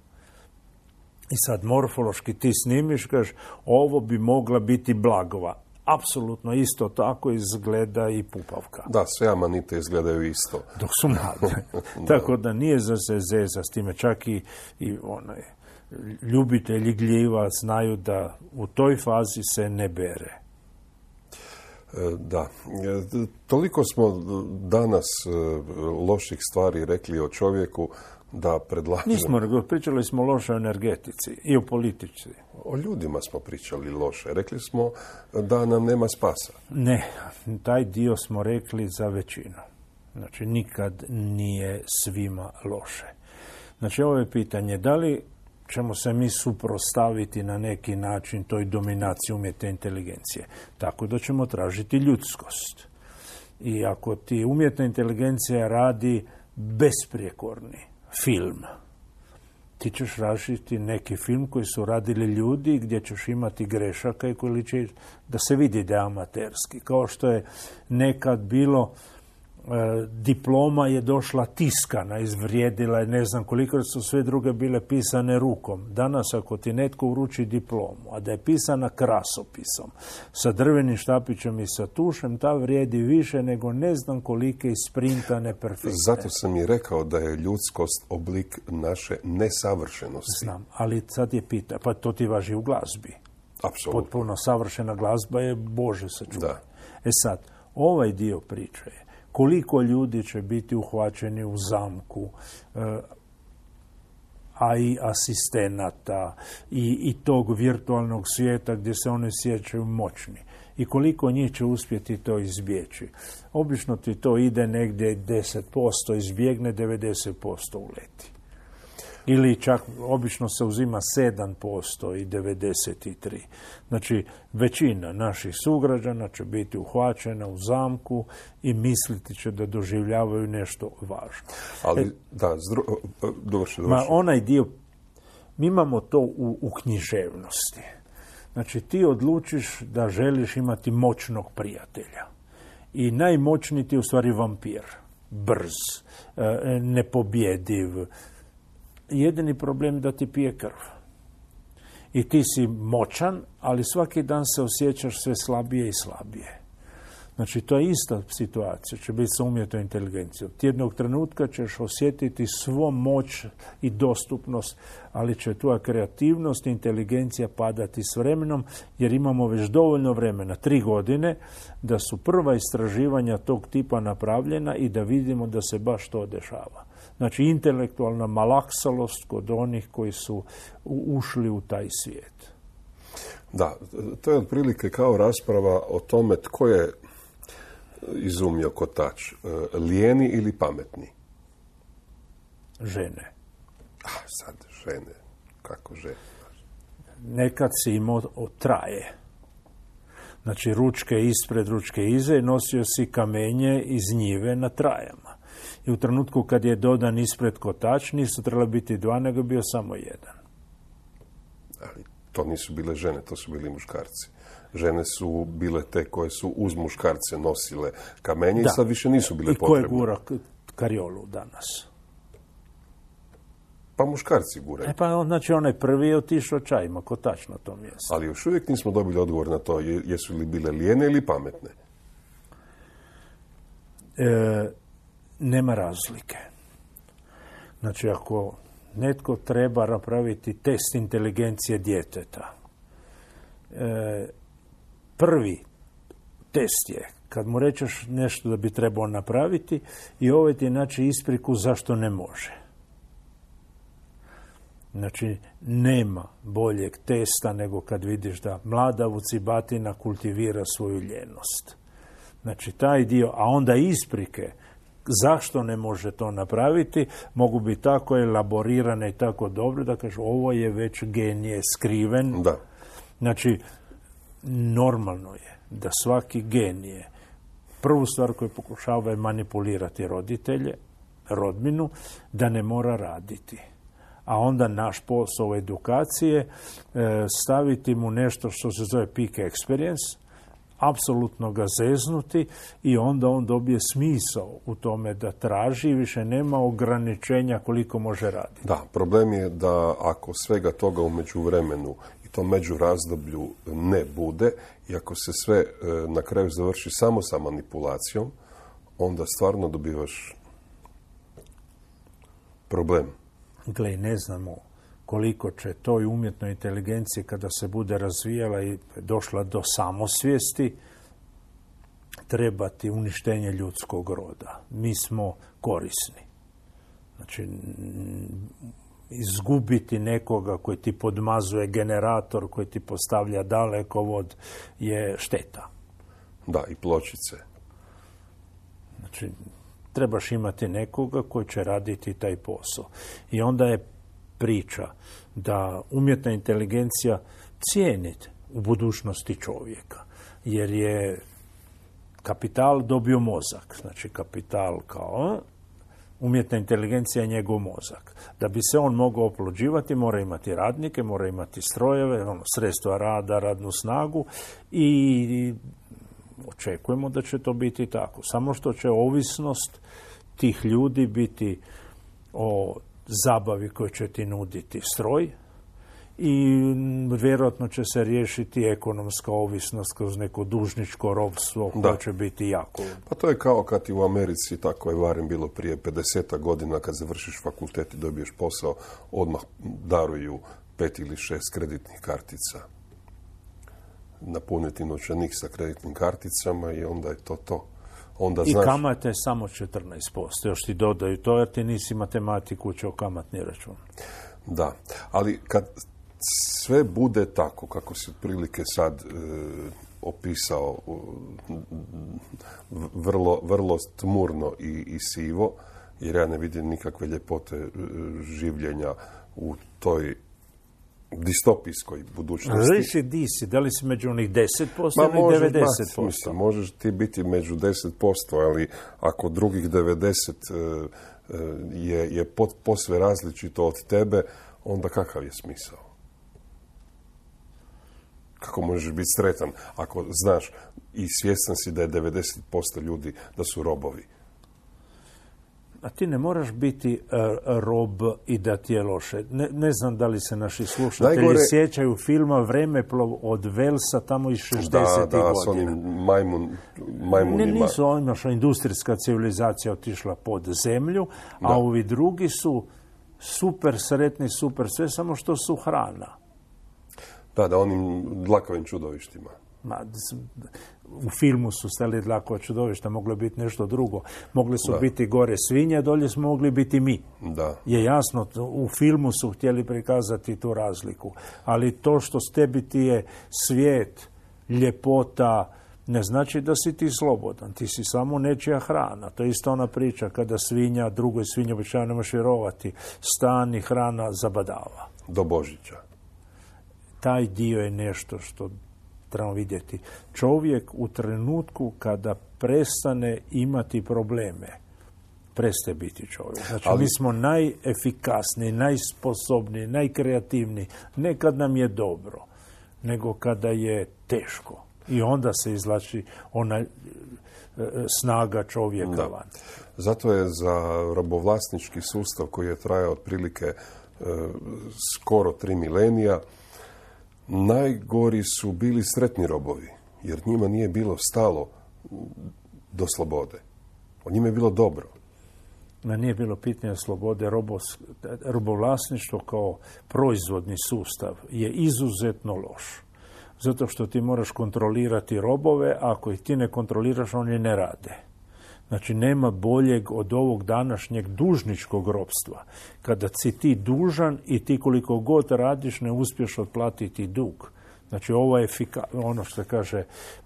I sad morfološki ti snimiš, kažeš, ovo bi mogla biti blagova. Apsolutno isto tako izgleda i pupavka. Da, sve amanite izgledaju isto. Dok su mlade. Tako da nije za se zeza s time. Čak i, i onaj, ljubitelji gljiva znaju da u toj fazi se ne bere. Da. Toliko smo danas loših stvari rekli o čovjeku da predlažem... Nismo, pričali smo loše o energetici i o politici. O ljudima smo pričali loše. Rekli smo da nam nema spasa. Ne, taj dio smo rekli za većinu. Znači, nikad nije svima loše. Znači, ovo je pitanje, da li ćemo se mi suprotstaviti na neki način toj dominaciji umjetne inteligencije. Tako da ćemo tražiti ljudskost. I ako ti umjetna inteligencija radi besprijekorni film, ti ćeš raditi neki film koji su radili ljudi gdje ćeš imati grešaka i koji će da se vidi da je amaterski. Kao što je nekad bilo, e, diploma je došla tiskana, izvrijedila je ne znam koliko, su sve druge bile pisane rukom. Danas ako ti netko uruči diplomu, a da je pisana krasopisom, sa drvenim štapićem i sa tušem, ta vrijedi više nego ne znam kolike isprintane perfektne. Zato sam i rekao da je ljudskost oblik naše nesavršenosti. Znam, ali sad je pita, pa to ti važi u glazbi. Apsolutno. Potpuno savršena glazba je Bože sačuvaj. Da. E sad, ovaj dio priče je koliko ljudi će biti uhvaćeni u zamku, a i asistenata i, i tog virtualnog svijeta gdje se oni sjećaju moćni. I koliko njih će uspjeti to izbjeći. Obično ti to ide negdje deset posto izbjegne, devedeset posto uleti. Ili čak obično se uzima sedam posto i devedeset tri. Znači, većina naših sugrađana će biti uhvaćena u zamku i misliti će da doživljavaju nešto važno. Ali, e, da, zdru... dovrši, dovrši. Ma, onaj dio, mi imamo to u, u književnosti. Znači, ti odlučiš da želiš imati moćnog prijatelja. I najmoćniji ti je u stvari vampir. Brz, nepobjediv. Jedini problem da ti pije krv. I ti si moćan, ali svaki dan se osjećaš sve slabije i slabije. Znači, to je ista situacija, će biti sa umjetnom inteligencijom. Ti jednog trenutka ćeš osjetiti svo moć i dostupnost, ali će tvoja kreativnost i inteligencija padati s vremenom, jer imamo već dovoljno vremena, tri godine, da su prva istraživanja tog tipa napravljena i da vidimo da se baš to dešava. Znači, intelektualna malaksalost kod onih koji su ušli u taj svijet. Da, to je otprilike kao rasprava o tome tko je izumio kotač, lijeni ili pametni? Žene. A, sad žene. Kako žene? Nekad si imao traje. Znači, ručke ispred, ručke iza i nosio si kamenje iz njive na trajama. I u trenutku kad je dodan ispred kotač, nisu trebali biti dva, nego bio samo jedan. Ali to nisu bile žene, to su bili muškarci. Žene su bile te koje su uz muškarce nosile kamenje da. I sad više nisu bile potrebne. I ko je gura kariolu danas? Pa muškarci guraju. E pa znači onaj prvi je otišao čajima, kotač na tom mjestu. Ali još uvijek nismo dobili odgovor na to jesu li bile lijene ili pametne. E, nema razlike. Znači ako netko treba napraviti test inteligencije djeteta, e, prvi test je kad mu rečeš nešto da bi trebao napraviti i ovaj ti naći ispriku zašto ne može. Znači, nema boljeg testa nego kad vidiš da mlada vucibatina kultivira svoju ljenost. Znači, taj dio, a onda isprike zašto ne može to napraviti, mogu biti tako elaborirane i tako dobro da kažu ovo je već genije skriven. Da. Znači, normalno je da svaki genije prvu stvar koju pokušava je manipulirati roditelje, rodbinu, da ne mora raditi. A onda naš posao edukacije staviti mu nešto što se zove peak experience, apsolutno ga zeznuti i onda on dobije smisao u tome da traži i više nema ograničenja koliko može raditi. Da, problem je da ako svega toga u međuvremenu i to međurazdoblju ne bude i ako se sve na kraju završi samo sa manipulacijom, onda stvarno dobivaš problem. Gle, ne znamo koliko će toj umjetnoj inteligenciji kada se bude razvijala i došla do samosvijesti trebati uništenje ljudskog roda. Mi smo korisni. Znači, izgubiti nekoga koji ti podmazuje generator, koji ti postavlja dalekovod je šteta. Da, i pločice. Znači, trebaš imati nekoga koji će raditi taj posao. I onda je priča da umjetna inteligencija cijeni u budućnosti čovjeka, jer je kapital dobio mozak, znači kapital kao umjetna inteligencija je njegov mozak. Da bi se on mogao oplođivati, mora imati radnike, mora imati strojeve, ono, sredstva rada, radnu snagu i očekujemo da će to biti tako. Samo što će ovisnost tih ljudi biti o zabavi koju će ti nuditi stroj i vjerojatno će se riješiti ekonomska ovisnost kroz neko dužničko ropstvo koje će biti jako. Pa to je kao kad i u Americi, tako je barem bilo prije pedeset godina, kad završiš fakultet i dobiješ posao, odmah daruju pet ili šest kreditnih kartica. Napuniti novčanik sa kreditnim karticama i onda je to to. Onda I znaš... kamata je samo četrnaest posto. Još ti dodaju to jer ti nisi matematiku učio kamatni račun. Da, ali kad sve bude tako kako si otprilike sad e, opisao, e, vrlo, vrlo tmurno i, i sivo, jer ja ne vidim nikakve ljepote e, življenja u toj distopijskoj budućnosti. Reći di si, da li si među onih deset posto ili devedeset posto? Mislim, možeš ti biti među deset posto, ali ako drugih devedeset e, je, je pot, posve različito od tebe, onda kakav je smisao? Kako možeš biti sretan ako znaš i svjestan si da je devedeset posto ljudi da su robovi? A ti ne moraš biti uh, rob i da ti je loše. Ne, ne znam da li se naši slušatelji Najgore... sjećaju filma Vremeplov od Velsa tamo iz šezdesetih da, da, godina. S onim majmun, majmunima. Ne, nisu oni, industrijska civilizacija otišla pod zemlju, da. A ovi drugi su super sretni, super sve, samo što su hrana. Da, da, onim dlakovim čudovištima. Ma, u filmu su stali dlakova čudovišta, moglo je biti nešto drugo. Mogli su da. biti gore svinje, dolje smo mogli biti mi. Da. Je jasno, u filmu su htjeli prikazati tu razliku. Ali to što s tebi ti je svijet, ljepota, ne znači da si ti slobodan. Ti si samo nečija hrana. To je isto ona priča kada svinja, drugoj svinji običajno ne možeš vjerovati, stan i hrana zabadava. Do Božića. Taj dio je nešto što trebamo vidjeti. Čovjek u trenutku kada prestane imati probleme, prestaje biti čovjek. Znači, ali... mi smo najefikasniji, najsposobniji, najkreativniji. Ne kad nam je dobro, nego kada je teško. I onda se izvlači ona e, snaga čovjeka da. van. Zato je za robovlasnički sustav koji je trajao otprilike e, skoro tri milenija, najgori su bili sretni robovi, jer njima nije bilo stalo do slobode. O njima je bilo dobro. Ma nije bilo pitanje slobode. Robos, robovlasništvo kao proizvodni sustav je izuzetno loš. Zato što ti moraš kontrolirati robove, a ako ih ti ne kontroliraš, oni ne rade. Znači, nema boljeg od ovog današnjeg dužničkog ropstva. Kada si ti dužan i ti koliko god radiš ne uspješ otplatiti dug. Znači, ovo je efika- ono što se kaže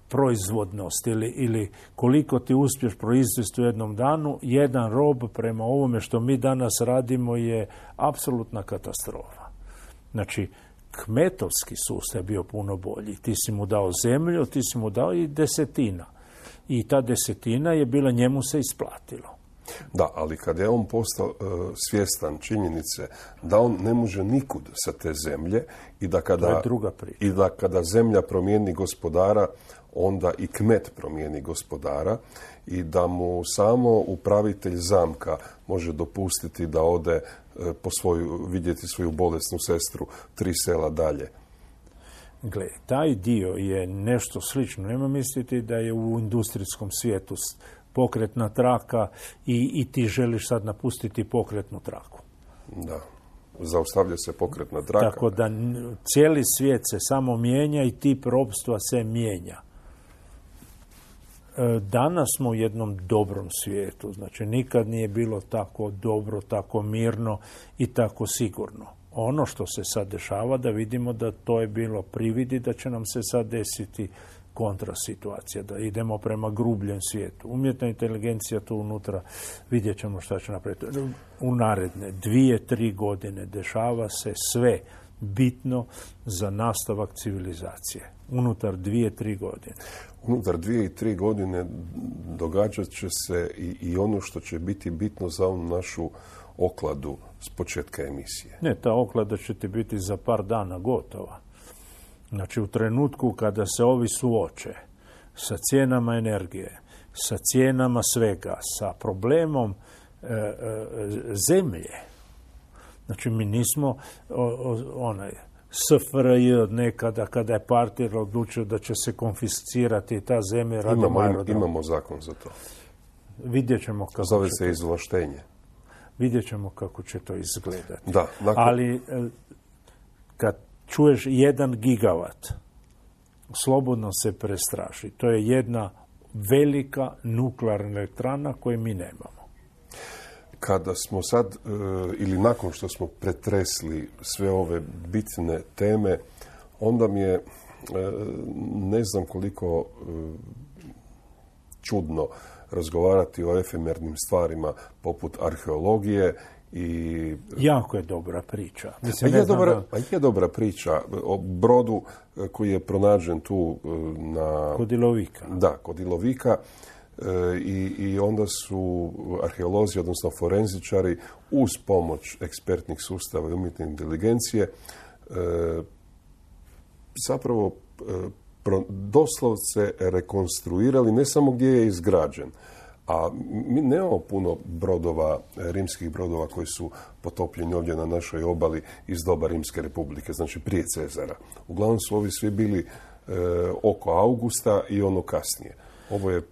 proizvodnost ili, ili koliko ti uspješ proizvesti u jednom danu, jedan rob prema ovome što mi danas radimo je apsolutna katastrofa. Znači, kmetovski sustav je bio puno bolji. Ti si mu dao zemlju, ti si mu dao i desetina. I ta desetina je bila, njemu se isplatilo. Da, ali kada je on postao uh, svjestan činjenice da on ne može nikud sa te zemlje i da kada, to je druga priča. I da kada zemlja promijeni gospodara, onda i kmet promijeni gospodara i da mu samo upravitelj zamka može dopustiti da ode uh, po svoju, vidjeti svoju bolesnu sestru tri sela dalje. Gle, taj dio je nešto slično. Nema misliti da je u industrijskom svijetu pokretna traka i, i ti želiš sad napustiti pokretnu traku. Da, zaustavlja se pokretna traka. Tako da cijeli svijet se samo mijenja i tip ropstva se mijenja. Danas smo u jednom dobrom svijetu. Znači, nikad nije bilo tako dobro, tako mirno i tako sigurno. Ono što se sad dešava, da vidimo da to je bilo prividi, da će nam se sad desiti kontrasituacija, da idemo prema grubljem svijetu. Umjetna inteligencija tu unutra, vidjet ćemo šta će napraviti. U naredne dvije, tri godine dešava se sve bitno za nastavak civilizacije. Unutar dvije, tri godine. Unutar dvije i tri godine događat će se i, i ono što će biti bitno za onu našu okladu s početka emisije. Ne, ta oklada će ti biti za par dana gotova. Znači, u trenutku kada se ovi suoče sa cijenama energije, sa cijenama svega, sa problemom e, e, zemlje, znači mi nismo o, o, onaj S F R J od nekada kada je partija odlučio da će se konfiscirati ta zemlja radi imamo, aerodroma. imamo zakon za to. Vidjet ćemo kako Zove će se to, izvlaštenje. vidjet ćemo kako će to izgledati. Da, nakon... Ali e, kad čuješ jedan gigavat, slobodno se prestraši. To je jedna velika nuklearna elektrana koju mi nemamo. Kada smo sad, e, ili nakon što smo pretresli sve ove bitne teme, onda mi je, e, ne znam koliko e, čudno razgovarati o efemernim stvarima poput arheologije i... Jako je dobra priča. Mislim, a, je dobra, da... a je dobra priča o brodu koji je pronađen tu na... Kod Ilovika. Da, kod Ilovika. I, i onda su arheolozi, odnosno forenzičari, uz pomoć ekspertnih sustava i umjetne inteligencije e, zapravo e, pro, doslovce rekonstruirali ne samo gdje je izgrađen, a mi nemamo puno brodova, rimskih brodova koji su potopljeni ovdje na našoj obali iz doba Rimske republike, znači prije Cezara. Uglavnom su ovi svi bili e, oko Augusta i ono kasnije. Ovo je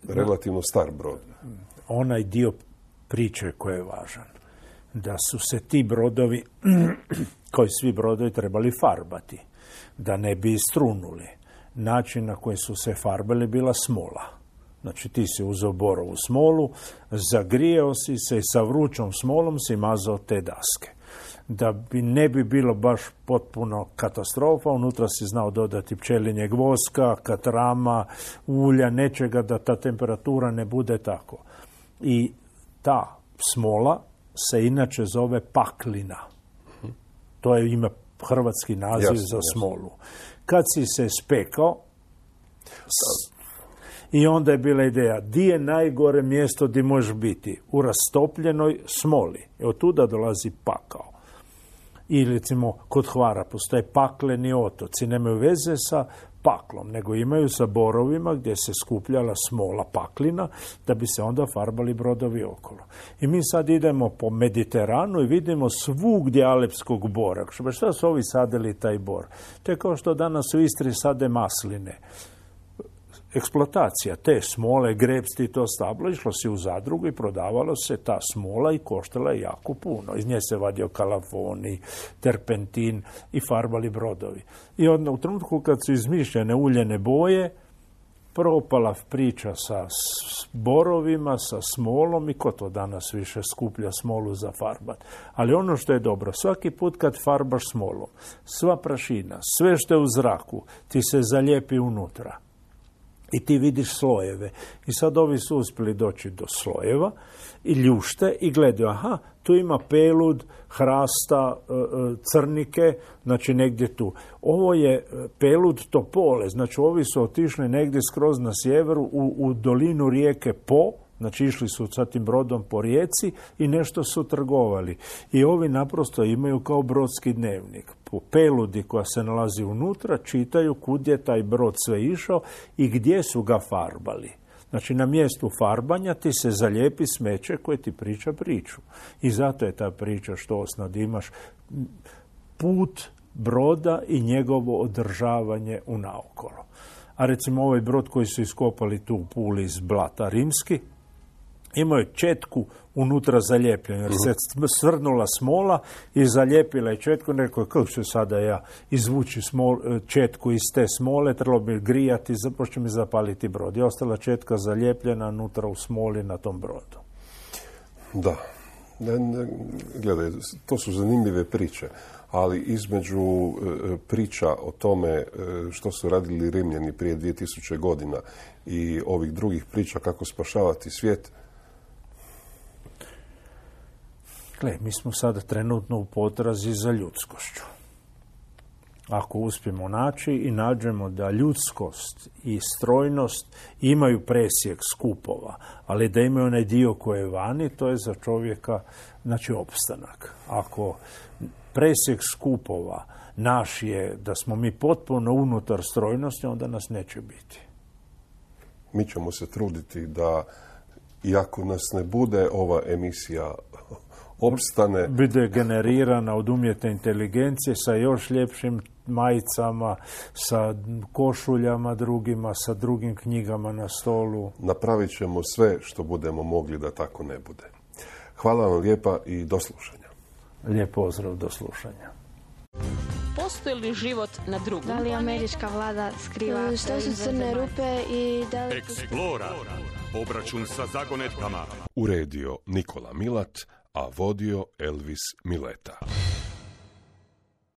relativno star brod. Onaj dio priče koji je važan, da su se ti brodovi, koji svi brodovi trebali farbati, da ne bi istrunuli. Način na koji su se farbali bila smola. Znači ti si uzeo borovu smolu, zagrijeo si se i sa vrućom smolom si mazao te daske. Da bi ne bi bilo baš potpuno katastrofa, unutra si znao dodati pčelinjeg voska, katrama, ulja, nečega da ta temperatura ne bude tako. I ta smola se inače zove paklina. To je ime, hrvatski naziv jasne, za smolu. Kad si se spekao, i onda je bila ideja, di je najgore mjesto gdje možeš biti? U rastopljenoj smoli. I od tuda dolazi pakao. I recimo kod Hvara postoje pakleni otoci, nemaju veze sa paklom, nego imaju sa borovima gdje se skupljala smola paklina da bi se onda farbali brodovi okolo. I mi sad idemo po Mediteranu i vidimo svugdje alepskog bora. Šta su ovi sadili taj bor? To je kao što danas u Istri sade masline. Eksploatacija te smole, grebsti, to stablo, išlo si u zadrugu i prodavalo se ta smola i koštala je jako puno. Iz nje se vadio kalafoni, terpentin i farbali brodovi. I onda u trenutku kad su izmišljene uljene boje, propala priča sa borovima, sa smolom i ko to danas više skuplja smolu za farbat. Ali ono što je dobro, svaki put kad farbaš smolom, sva prašina, sve što je u zraku, ti se zalijepi unutra. I ti vidiš slojeve. I sad ovi su uspjeli doći do slojeva i ljušte i gledaju, aha, tu ima pelud, hrasta, crnike, znači negdje tu. Ovo je pelud topole, znači ovi su otišli negdje skroz na sjeveru u, u dolinu rijeke Po, znači išli su sa tim brodom po rijeci i nešto su trgovali. I ovi naprosto imaju kao brodski dnevnik. Po peludi koja se nalazi unutra čitaju kud je taj brod sve išao i gdje su ga farbali. Znači na mjestu farbanja ti se zalijepi smeće koje ti priča priču. I zato je ta priča što osnad imaš put broda i njegovo održavanje u naokolo. A recimo ovaj brod koji su iskopali tu u Puli iz blata rimski, imao je četku unutra zalijepljenu, jer se svrnula smola i zalijepila je četku. Rekao, kako ću sada ja izvući smol, četku iz te smole, trebalo bi grijati, započne mi zapaliti brod. I ostala četka zalijepljena unutra u smoli na tom brodu. Da, Ne, ne, gledaj, to su zanimljive priče, ali između e, priča o tome e, što su radili Rimljani prije dvije tisuće godina i ovih drugih priča kako spašavati svijet. Gle, mi smo sada trenutno u potrazi za ljudskošću. Ako uspijemo naći i nađemo da ljudskost i strojnost imaju presjek skupova, ali da imaju onaj dio koji je vani, to je za čovjeka, znači, opstanak. Ako presjek skupova naš je da smo mi potpuno unutar strojnosti, onda nas neće biti. Mi ćemo se truditi da, iako nas ne bude, ova emisija opstane. Bude generirana od umjetne inteligencije sa još ljepšim majicama, sa košuljama drugima, sa drugim knjigama na stolu. Napravit ćemo sve što budemo mogli da tako ne bude. Hvala vam lijepa i do slušanja. Lijep pozdrav, do slušanja. Postoji li život na drugom? Da li američka vlada skriva Što su crne rupe i da li... Explora. Obračun sa zagonetkama. Uredio Nikola Milat, a vodio Elvis Mileta.